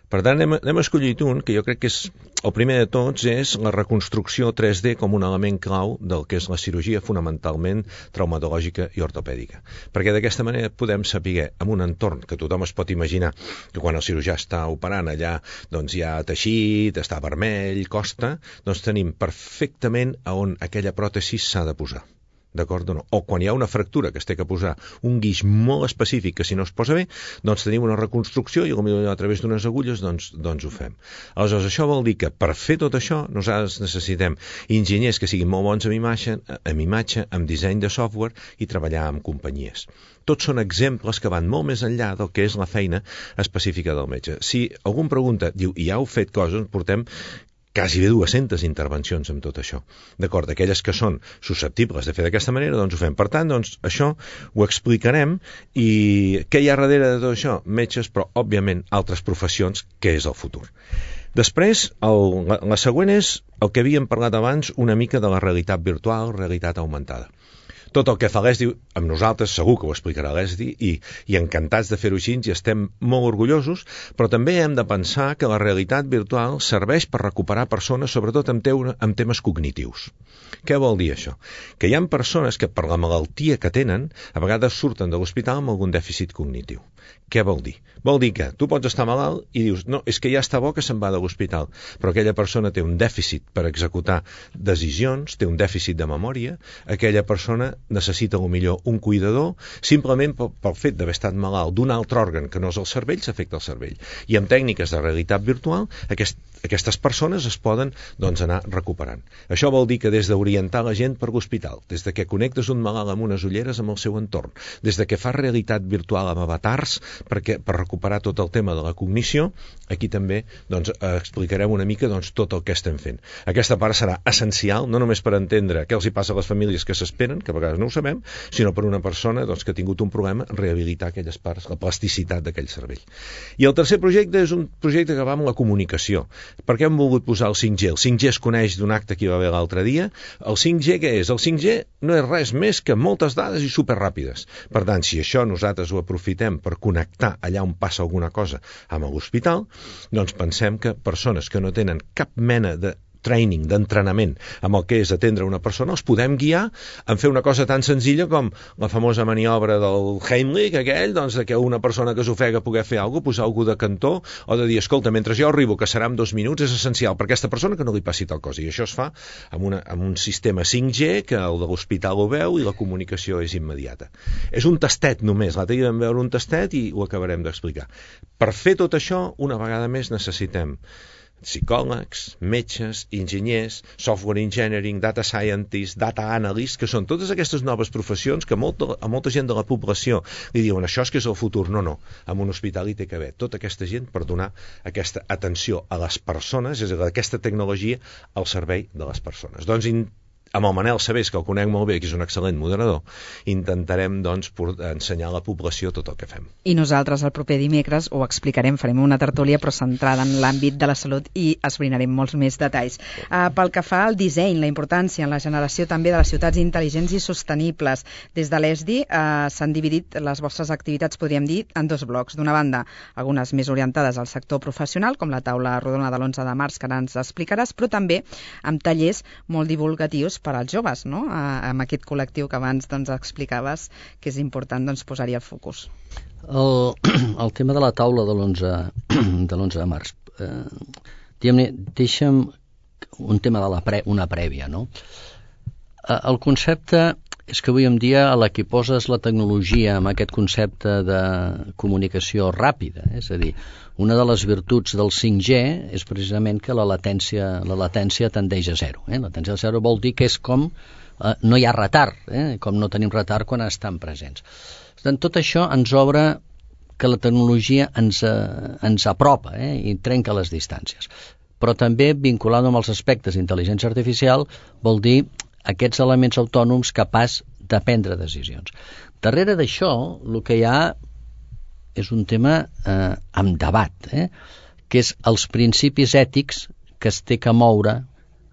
Per tant, hem, hem escollit un que jo crec que és, el primer de tots és la reconstrucció tres D com un element clau del que és la cirurgia fonamentalment traumatològica i ortopèdica. Perquè d'aquesta manera podem saber, en un entorn que tothom es pot imaginar, que quan el cirurgià està operant allà doncs hi ha teixit, està vermell, costa, doncs tenim perfectament a on aquella pròtesi s'ha de posar. d'acord o no? O quan hi ha una fractura que es té que posar un guix molt específic que si no es posa bé, doncs tenim una reconstrucció i potser a través d'unes agulles doncs, doncs ho fem. Aleshores, això vol dir que per fer tot això nosaltres necessitem enginyers que siguin molt bons amb imatge, amb, imatge, amb disseny de software i treballar amb companyies. Tots són exemples que van molt més enllà del que és la feina específica del metge. Si algú em pregunta, diu, i ja heu fet coses, portem quasi bé dues-centes intervencions amb tot això. D'acord, aquelles que són susceptibles de fer d'aquesta manera, doncs ho fem. Per tant, doncs, això ho explicarem i què hi ha darrere de tot això? Metges, però, òbviament, altres professions, que és el futur. Després, el, la, la següent és el que havíem parlat abans una mica de la realitat virtual, realitat augmentada. Tot el que fa l'E S D I, amb nosaltres segur que ho explicarà l'E S D I i, i encantats de fer-ho així i estem molt orgullosos, però també hem de pensar que la realitat virtual serveix per recuperar persones, sobretot amb, teu, amb temes cognitius. Què vol dir això? Que hi ha persones que per la malaltia que tenen a vegades surten de l'hospital amb algun dèficit cognitiu. Què vol dir? Vol dir que tu pots estar malalt i dius, no, és que ja està bo que se'n va de l'hospital, però aquella persona té un dèficit per executar decisions, té un dèficit de memòria, aquella persona necessita millor un cuidador, simplement pel, pel fet d'haver estat malalt d'un altre òrgan que no és el cervell, s'afecta el cervell. I amb tècniques de realitat virtual, aquest, aquestes persones es poden doncs, anar recuperant. Això vol dir que des d'orientar la gent per l'hospital, des de que connectes un malalt amb unes ulleres amb el seu entorn, des de que fas realitat virtual amb avatars, perquè per recuperar tot el tema de la cognició, aquí també doncs, explicarem una mica doncs, tot el que estem fent. Aquesta part serà essencial, no només per entendre què els hi passa a les famílies que s'esperen, que a vegades no ho sabem, sinó per una persona doncs, que ha tingut un problema, rehabilitar aquelles parts, la plasticitat d'aquell cervell. I el tercer projecte és un projecte que va amb la comunicació. Per què hem volgut posar el cinc G? El cinc G es coneix d'un acte que hi va haver l'altre dia. El cinc G què és? El cinc G no és res més que moltes dades i superràpides. Per tant, si això nosaltres ho aprofitem per connectar allà on passa alguna cosa amb l'hospital, doncs pensem que persones que no tenen cap mena de training, d'entrenament amb el que és atendre una persona, els podem guiar en fer una cosa tan senzilla com la famosa maniobra del Heimlich, aquell, doncs, que una persona que s'ofega poder fer alguna cosa, posar algú de cantó, o de dir, escolta, mentre jo arribo, que serà en dos minuts, és essencial per aquesta persona que no li passi tal cosa. I això es fa amb, una, amb un sistema cinc G, que el de l'hospital ho veu i la comunicació és immediata. És un tastet només, l'altre dia vam veure un tastet i ho acabarem d'explicar. Per fer tot això, una vegada més necessitem psicòlegs, metges, enginyers, software engineering, data scientists, data analysts, que són totes aquestes noves professions que molta, a molta gent de la població li diuen això és que és el futur. No, no, en un hospital hi té que haver tota aquesta gent per donar aquesta atenció a les persones, és a dir, aquesta tecnologia al servei de les persones. Doncs amb el Manel Sabés, que el conec molt bé, que és un excel·lent moderador, intentarem doncs, ensenyar a la població tot el que fem. I nosaltres el proper dimecres ho explicarem, farem una tertúlia però centrada en l'àmbit de la salut i esbrinarem molts més detalls. Uh, pel que fa al disseny, la importància en la generació també de les ciutats intel·ligents i sostenibles, des de l'E S D I uh, s'han dividit les vostres activitats, podríem dir, en dos blocs. D'una banda, algunes més orientades al sector professional, com la taula rodona de l'onze de març, que ara ens explicaràs, però també amb tallers molt divulgatius per als joves, no? Amb aquest col·lectiu que abans doncs, explicaves que és important doncs, posar-hi el focus. El, el tema de la taula de l'onze de març. Eh, deixa'm un tema de la pre, una prèvia, no? Eh, el concepte és que avui en dia a la que poses la tecnologia amb aquest concepte de comunicació ràpida, eh? És a dir, una de les virtuts del cinc G és precisament que la latència, la latència tendeix a zero. Eh? La latència a zero vol dir que és com eh, no hi ha retard, eh? Com no tenim retard quan estan presents. Per tant, tot això ens obre que la tecnologia ens, eh, ens apropa eh? I trenca les distàncies. Però també vinculant amb els aspectes d'intel·ligència artificial vol dir aquests elements autònoms capaç de prendre decisions. Darrere d'això, el que hi ha és un tema eh, amb debat, eh, que és els principis ètics que es té que moure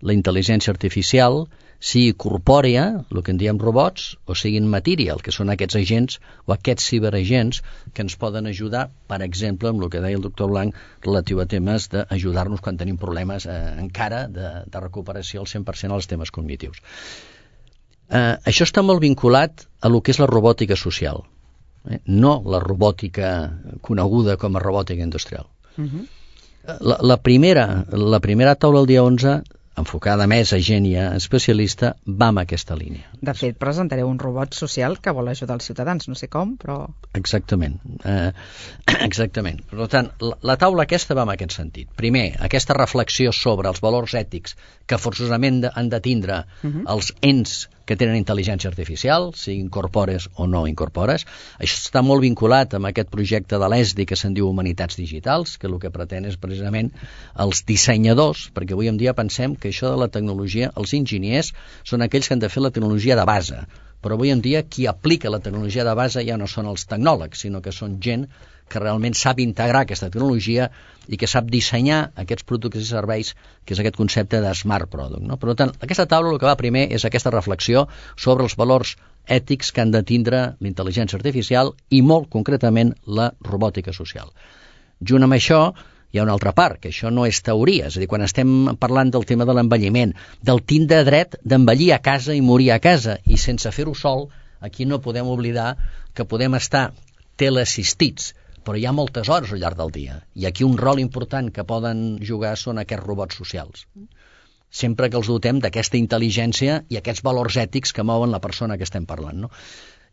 la intel·ligència artificial, sigui corpòrea, el que en diem robots, o siguin material, que són aquests agents o aquests ciberagents que ens poden ajudar, per exemple, amb el que deia el doctor Blanc, relatiu a temes d'ajudar-nos quan tenim problemes eh, encara de, de recuperació al cent per cent als temes cognitius. Eh, això està molt vinculat a lo que és la robòtica social, eh? No la robòtica coneguda com a robòtica industrial. Uh-huh. La, la, primera, la primera taula el dia onze enfocada més a gent i a especialista, va en aquesta línia. De fet, presentareu un robot social que vol ajudar els ciutadans, no sé com, però... Exactament. Eh, exactament. Per tant, la, la taula aquesta va en aquest sentit. Primer, aquesta reflexió sobre els valors ètics que forçosament de, han de tindre uh-huh. els ens que tenen intel·ligència artificial, si incorpores o no incorpores. Això està molt vinculat amb aquest projecte de l'E S D I que se'n diu Humanitats Digitals, que el que pretén és precisament els dissenyadors, perquè avui en dia pensem que això de la tecnologia, els enginyers són aquells que han de fer la tecnologia de base, però avui en dia qui aplica la tecnologia de base ja no són els tecnòlegs, sinó que són gent que realment sap integrar aquesta tecnologia i que sap dissenyar aquests productes i serveis, que és aquest concepte de smart product, no? Per tant, aquesta taula el que va primer és aquesta reflexió sobre els valors ètics que han de tindre l'intel·ligència artificial i molt concretament la robòtica social. Junt amb això hi ha una altra part, que això no és teoria, és a dir, quan estem parlant del tema de l'envelliment, del tindre dret d'envellir a casa i morir a casa, i sense fer-ho sol, aquí no podem oblidar que podem estar teleassistits, però hi ha moltes hores al llarg del dia, i aquí un rol important que poden jugar són aquests robots socials. Sempre que els dotem d'aquesta intel·ligència i aquests valors ètics que mouen la persona que estem parlant, no?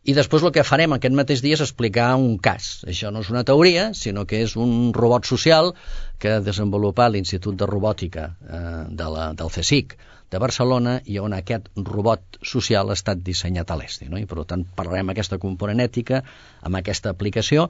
I després el que farem aquest mateix dia és explicar un cas. Això no és una teoria, sinó que és un robot social que ha desenvolupat l'Institut de Robòtica eh, de la, del CSIC de Barcelona, i on aquest robot social ha estat dissenyat a l'E S D I, no? I per tant parlarem aquesta component ètica amb aquesta aplicació,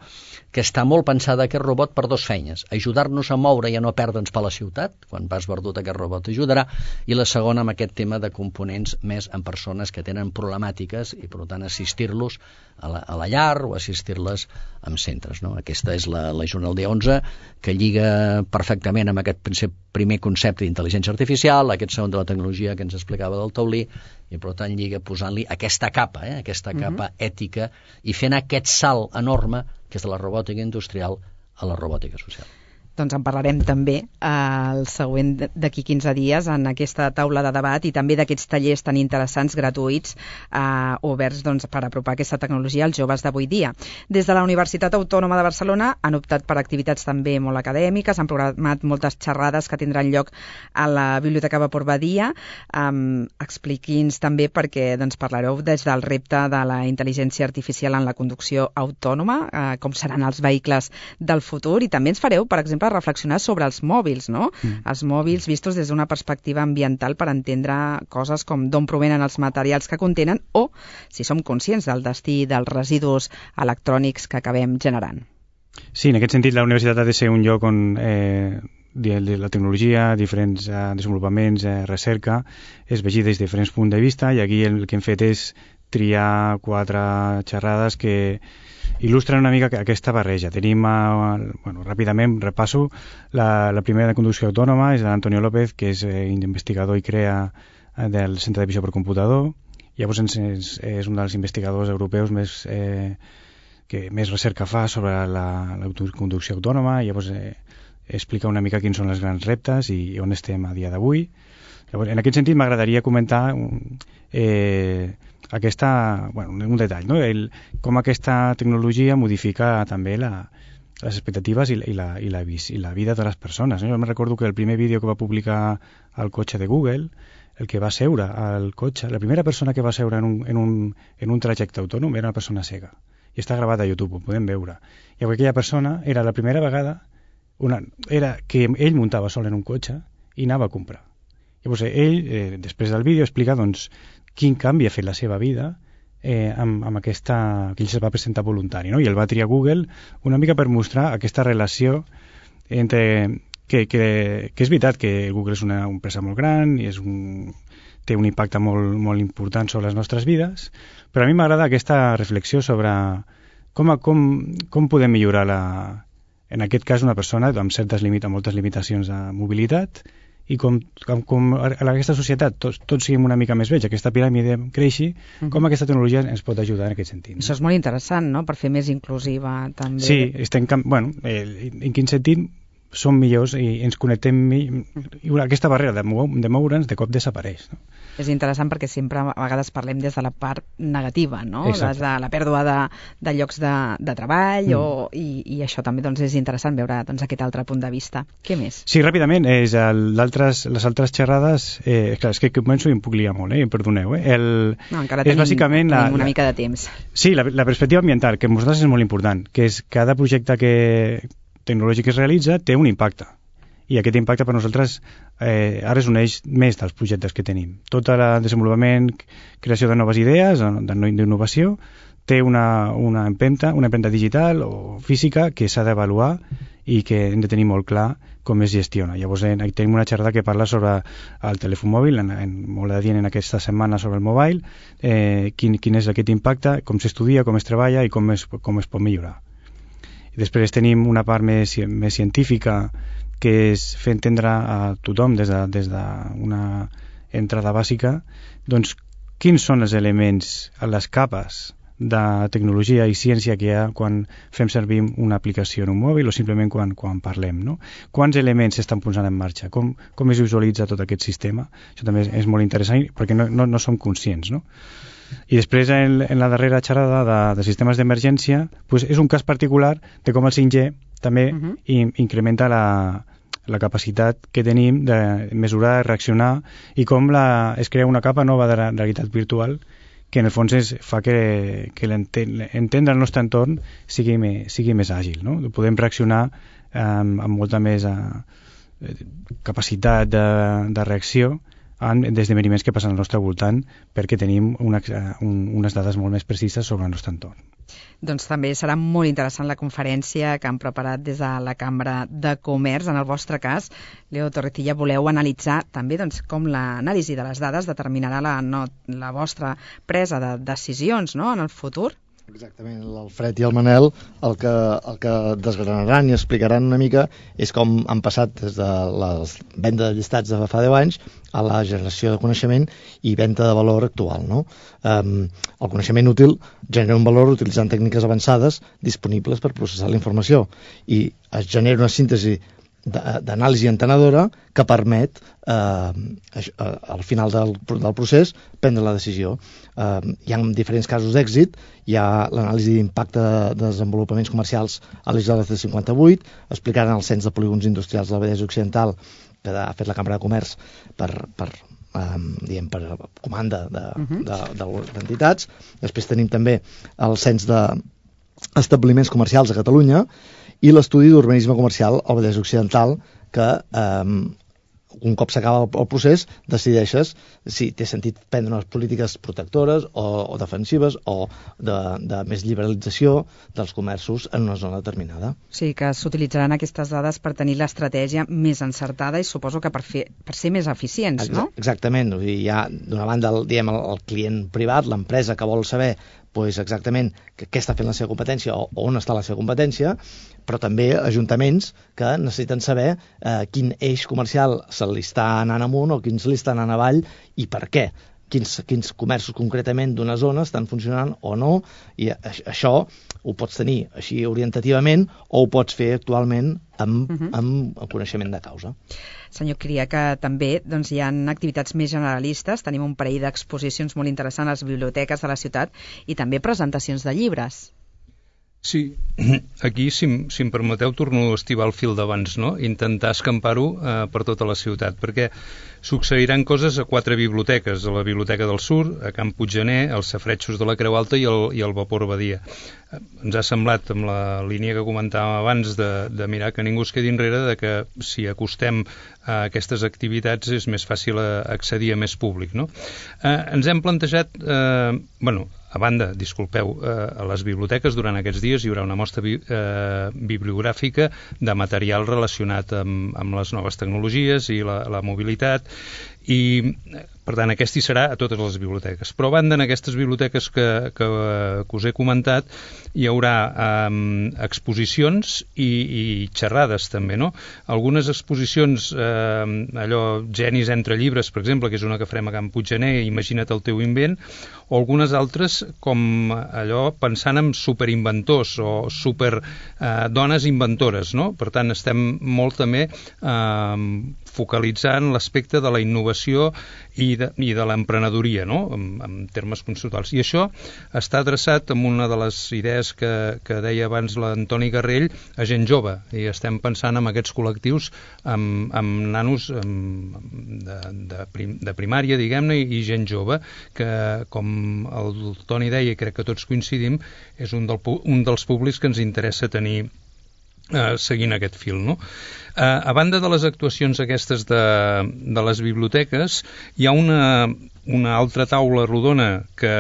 que està molt pensada aquest robot per dos feines: ajudar-nos a moure i a no perdre'ns per la ciutat, quan vas perdut aquest robot ajudarà, i la segona amb aquest tema de components més en persones que tenen problemàtiques i per tant assistir-los a la, a la llar o assistir-les en centres, no? Aquesta és la, la jornada del dia onze, que lliga perfectament amb aquest primer concepte d'intel·ligència artificial, aquest segon de la tecnologia que ens explicava del taulí, i per tant lliga posant-li aquesta capa, eh? aquesta capa uh-huh. ètica, i fent aquest salt enorme que és de la robòtica industrial a la robòtica social. Doncs en parlarem també el següent d'aquí quinze dies en aquesta taula de debat, i també d'aquests tallers tan interessants, gratuïts, eh, oberts doncs, per apropar aquesta tecnologia als joves d'avui dia. Des de la Universitat Autònoma de Barcelona han optat per activitats també molt acadèmiques, han programat moltes xerrades que tindran lloc a la Biblioteca Vapor Badia. Um, Expliqui'ns també, perquè doncs, parlareu des del repte de la intel·ligència artificial en la conducció autònoma, eh, com seran els vehicles del futur, i també ens fareu, per exemple, reflexionar sobre els mòbils, no? Mm. Els mòbils vistos des d'una perspectiva ambiental per entendre coses com d'on provenen els materials que contenen o si som conscients del destí dels residus electrònics que acabem generant. Sí, en aquest sentit la universitat ha de ser un lloc on eh, la tecnologia, diferents eh, desenvolupaments, eh, recerca, es vegi des de diferents punts de vista, i aquí el que hem fet és triar quatre xerrades que il·lustren una mica aquesta barreja. Tenim, eh, bueno, ràpidament repasso, la, la primera de conducció autònoma és d'Antonio López, que és eh, investigador i crea eh, del Centre de Visió per Computador. Llavors és, és un dels investigadors europeus més, eh, que més recerca fa sobre la, la conducció autònoma. Llavors eh, explica una mica quins són els grans reptes i on estem a dia d'avui. Llavors, en aquest sentit m'agradaria comentar eh, aquesta, bueno, un detall, no? El, com aquesta tecnologia modifica també la, les expectatives i, i, la, i, la, i la vida de les persones, no? Jo me recordo que el primer vídeo que va publicar el cotxe de Google, el que va seure al cotxe, la primera persona que va seure en un, en un, en un trajecte autònom era una persona cega, i està gravat a YouTube, ho podem veure. I aquella persona era la primera vegada una, era que ell muntava sol en un cotxe i anava a comprar. Llavors ell, eh, després del vídeo, explica doncs quin canvi ha fet la seva vida eh, amb, amb aquesta, que ell es va presentar voluntari, no? I el va triar Google una mica per mostrar aquesta relació entre que, que, que és veritat que Google és una empresa molt gran i és un, té un impacte molt, molt important sobre les nostres vides, però a mi m'agrada aquesta reflexió sobre com, com, com podem millorar la, en aquest cas una persona amb certes limita, moltes limitacions de mobilitat, i com, com, com a aquesta societat tots, tots siguem una mica més vells, aquesta piràmide creixi, uh-huh. com aquesta tecnologia ens pot ajudar en aquest sentit. No? Això és molt interessant, no?, per fer més inclusiva també. Sí, estem, bueno, eh, en quin sentit som millors i ens connectem i, i aquesta barrera de, mou, de moure'ns de cop desapareix, no? És interessant perquè sempre a vegades parlem des de la part negativa, no? Exacte. Des de la pèrdua de, de llocs de, de treball mm. o, i, i això també doncs, és interessant veure doncs, aquest altre punt de vista. Què més? Sí, ràpidament, és el, altres, les altres xerrades, eh, clar, és que començo i em puc liar molt, eh? Perdoneu. Eh? El, no, encara és tenim, bàsicament tenim la, una la, mica de temps. Sí, la, la perspectiva ambiental, que per nosaltres és molt important, que és cada projecte que, tecnològic que es realitza té un impacte. I aquest impacte per nosaltres eh, ara és un eix més dels projectes que tenim. Tot el desenvolupament, creació de noves idees, d'innovació, té una, una empenta, una empenta digital o física que s'ha d'avaluar i que hem de tenir molt clar com es gestiona. Llavors eh, tenim una xerrada que parla sobre el telèfon mòbil, en, en, molt adient en aquesta setmana sobre el mobile, eh, quin, quin és aquest impacte, com s'estudia, com es treballa i com es, com es pot millorar. I després tenim una part més, més científica, que és fer entendre a tothom des d'una de, des de entrada bàsica doncs quins són els elements, les capes de tecnologia i ciència que hi ha quan fem servir una aplicació en un mòbil o simplement quan, quan parlem, no? Quants elements s'estan posant en marxa, com, com es visualitza tot aquest sistema. Això també és, és molt interessant perquè no, no, no som conscients, no? I després en, en la darrera xerrada de, de sistemes d'emergència pues és un cas particular de com el cinc G també uh -huh. in, incrementa la, la capacitat que tenim de mesurar, reaccionar i com la, es crea una capa nova de la realitat virtual que en el fons és, fa que, que entendre el nostre entorn sigui, me, sigui més àgil, no? Podem reaccionar eh, amb molta més eh, capacitat de, de reacció d'esdeveniments que passen al nostre voltant perquè tenim una, un, unes dades molt més precises sobre el nostre entorn. Doncs també serà molt interessant la conferència que han preparat des de la Cambra de Comerç. En el vostre cas, Leo Torrecilla, voleu analitzar també doncs, com l'anàlisi de les dades determinarà la, no, la vostra presa de decisions, no?, en el futur? Exactament, l'Alfred i el Manel el que, el que desgranaran i explicaran una mica és com han passat des de la venda de llistats de fa deu anys a la generació de coneixement i venda de valor actual, no? Um, el coneixement útil genera un valor utilitzant tècniques avançades disponibles per processar la informació i es genera una síntesi d'anàlisi entenedora que permet eh, al final del, del procés prendre la decisió. Eh, hi ha diferents casos d'èxit, hi ha l'anàlisi d'impacte de desenvolupaments comercials a l'I L C cinquanta-vuit, explicant el cens de polígons industrials de la Vallès Occidental que ha fet la Cambra de Comerç per, per, eh, diguem, per comanda d'entitats. De, uh-huh. Després tenim també el cens d'establiments comercials a Catalunya i l'estudi d'urbanisme comercial al Vallès Occidental que eh, un cop s'acaba el procés decideixes si té sentit prendre unes polítiques protectores o, o defensives o de, de més liberalització dels comerços en una zona determinada. Sí, que s'utilitzaran aquestes dades per tenir l'estratègia més encertada i suposo que per, fer, per ser més eficients, no? Exactament, hi ha d'una banda el, diguem, el, el client privat, l'empresa que vol saber pues exactament què està fent la seva competència o on està la seva competència, però també ajuntaments que necessiten saber eh, quin eix comercial se li està anant amunt o quins li estan anant avall i per què. Quins, quins comerços concretament d'una zona estan funcionant o no, i això ho pots tenir així orientativament o ho pots fer actualment amb, uh-huh. amb el coneixement de causa. Senyor Cria, que també doncs, hi ha activitats més generalistes, tenim un parell d'exposicions molt interessants a les biblioteques de la ciutat i també presentacions de llibres. Sí, aquí, si, si em permeteu, torno a estivar el fil d'abans, no? Intentar escampar-ho eh, per tota la ciutat, perquè succeiran coses a quatre biblioteques, a la Biblioteca del Sur, a Can Puiggener, als Safaretjos de la Creu Alta i el, i el Vapor Badia. Ens ha semblat, amb la línia que comentàvem abans, de, de mirar que ningú es quedi enrere, de que si acostem a aquestes activitats és més fàcil accedir a més públic, no? Eh, ens hem plantejat, eh, bueno, a banda, disculpeu, eh, a les biblioteques durant aquests dies hi haurà una mostra bi eh, bibliogràfica de material relacionat amb, amb les noves tecnologies i la, la mobilitat i Per tant, aquest hi serà a totes les biblioteques. Però a banda, en aquestes biblioteques que, que, que us he comentat, hi haurà eh, exposicions i, i xerrades també, no? Algunes exposicions, eh, allò, genis entre llibres, per exemple, que és una que farem a Can Puiggener, Imagina't el teu invent, o algunes altres com allò pensant en superinventors o super eh, dones inventores, no? Per tant, estem molt també eh, focalitzant l'aspecte de la innovació i de, i de l'emprenedoria, no? En, en termes conceptuals. I això està adreçat amb una de les idees que, que deia abans l'Antoni Garrell a gent jove, i estem pensant en aquests col·lectius amb, amb nanos amb, de, de, prim, de primària, diguem-ne, i, i gent jove, que com el Toni deia, i crec que tots coincidim, és un, del, un dels públics que ens interessa tenir eh, seguint aquest fil, no? Eh, a banda de les actuacions aquestes de, de les biblioteques, hi ha una, una altra taula rodona que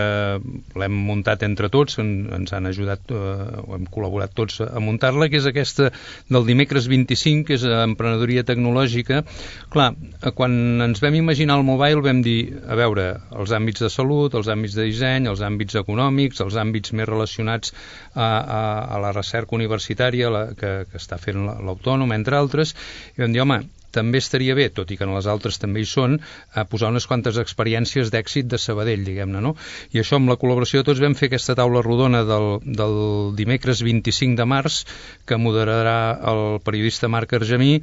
l'hem muntat entre tots, en, ens han ajudat, eh, hem col·laborat tots a muntar-la, que és aquesta del dimecres vint-i-cinc, que és emprenedoria tecnològica. Clar, quan ens vam imaginar el mobile vam dir, a veure, els àmbits de salut, els àmbits de disseny, els àmbits econòmics, els àmbits més relacionats a, a, a la recerca universitària la, que, que està fent l'Autònom, entre altres, i vam dir, home, també estaria bé, tot i que en les altres també hi són, a posar unes quantes experiències d'èxit de Sabadell, diguem-ne, no? I això, amb la col·laboració de tots, vam fer aquesta taula rodona del, del dimecres vint-i-cinc de març, que moderarà el periodista Marc Argemí,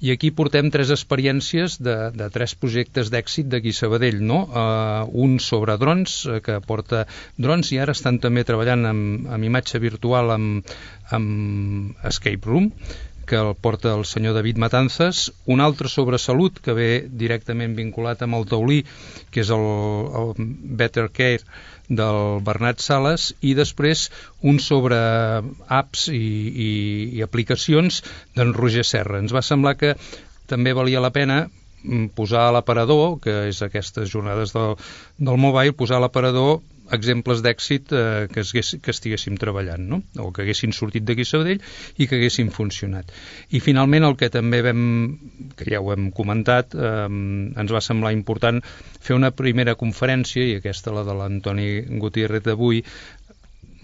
i aquí portem tres experiències de, de tres projectes d'èxit d'aquí a Sabadell, no? Uh, un sobre drons, uh, que porta drons, i ara estan també treballant amb, amb imatge virtual amb, amb Escape Room, que el porta el senyor David Matanzas, un altre sobre salut que ve directament vinculat amb el taulí, que és el, el Better Care del Bernat Sales, i després un sobre apps i, i, i aplicacions d'en Roger Serra. Ens va semblar que també valia la pena posar a l'aparador, que és aquestes jornades del, del mobile, posar a l'aparador exemples d'èxit eh, que, es, que estiguéssim treballant, no? O que haguessin sortit d'aquí a Sabadell i que haguessin funcionat. I finalment el que també vam, que ja ho hem comentat, eh, ens va semblar important fer una primera conferència, i aquesta la de l'Antoni Gutiérrez d'avui,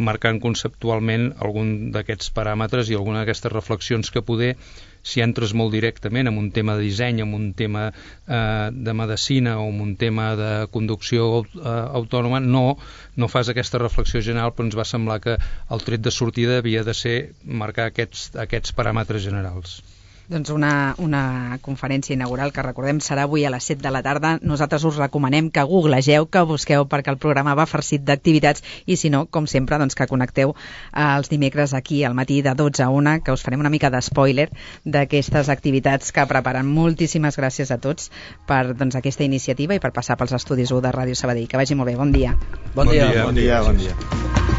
marcant conceptualment algun d'aquests paràmetres i alguna d'aquestes reflexions que poder, si entres molt directament en un tema de disseny, en un tema eh, de medicina o en un tema de conducció eh, autònoma, no, no fas aquesta reflexió general, però ens va semblar que el tret de sortida havia de ser marcar aquests, aquests paràmetres generals. Doncs una, una conferència inaugural que, recordem, serà avui a les set de la tarda. Nosaltres us recomanem que googlegeu, que busqueu, perquè el programa va farcit d'activitats, i si no, com sempre, doncs que connecteu els dimecres aquí al matí de dotze a una, que us farem una mica d'espoiler d'aquestes activitats que preparen. Moltíssimes gràcies a tots per doncs, aquesta iniciativa i per passar pels estudis u de Ràdio Sabadell. Que vagi molt bé. Bon dia. Bon dia. Bon dia. Bon dia. Bon dia.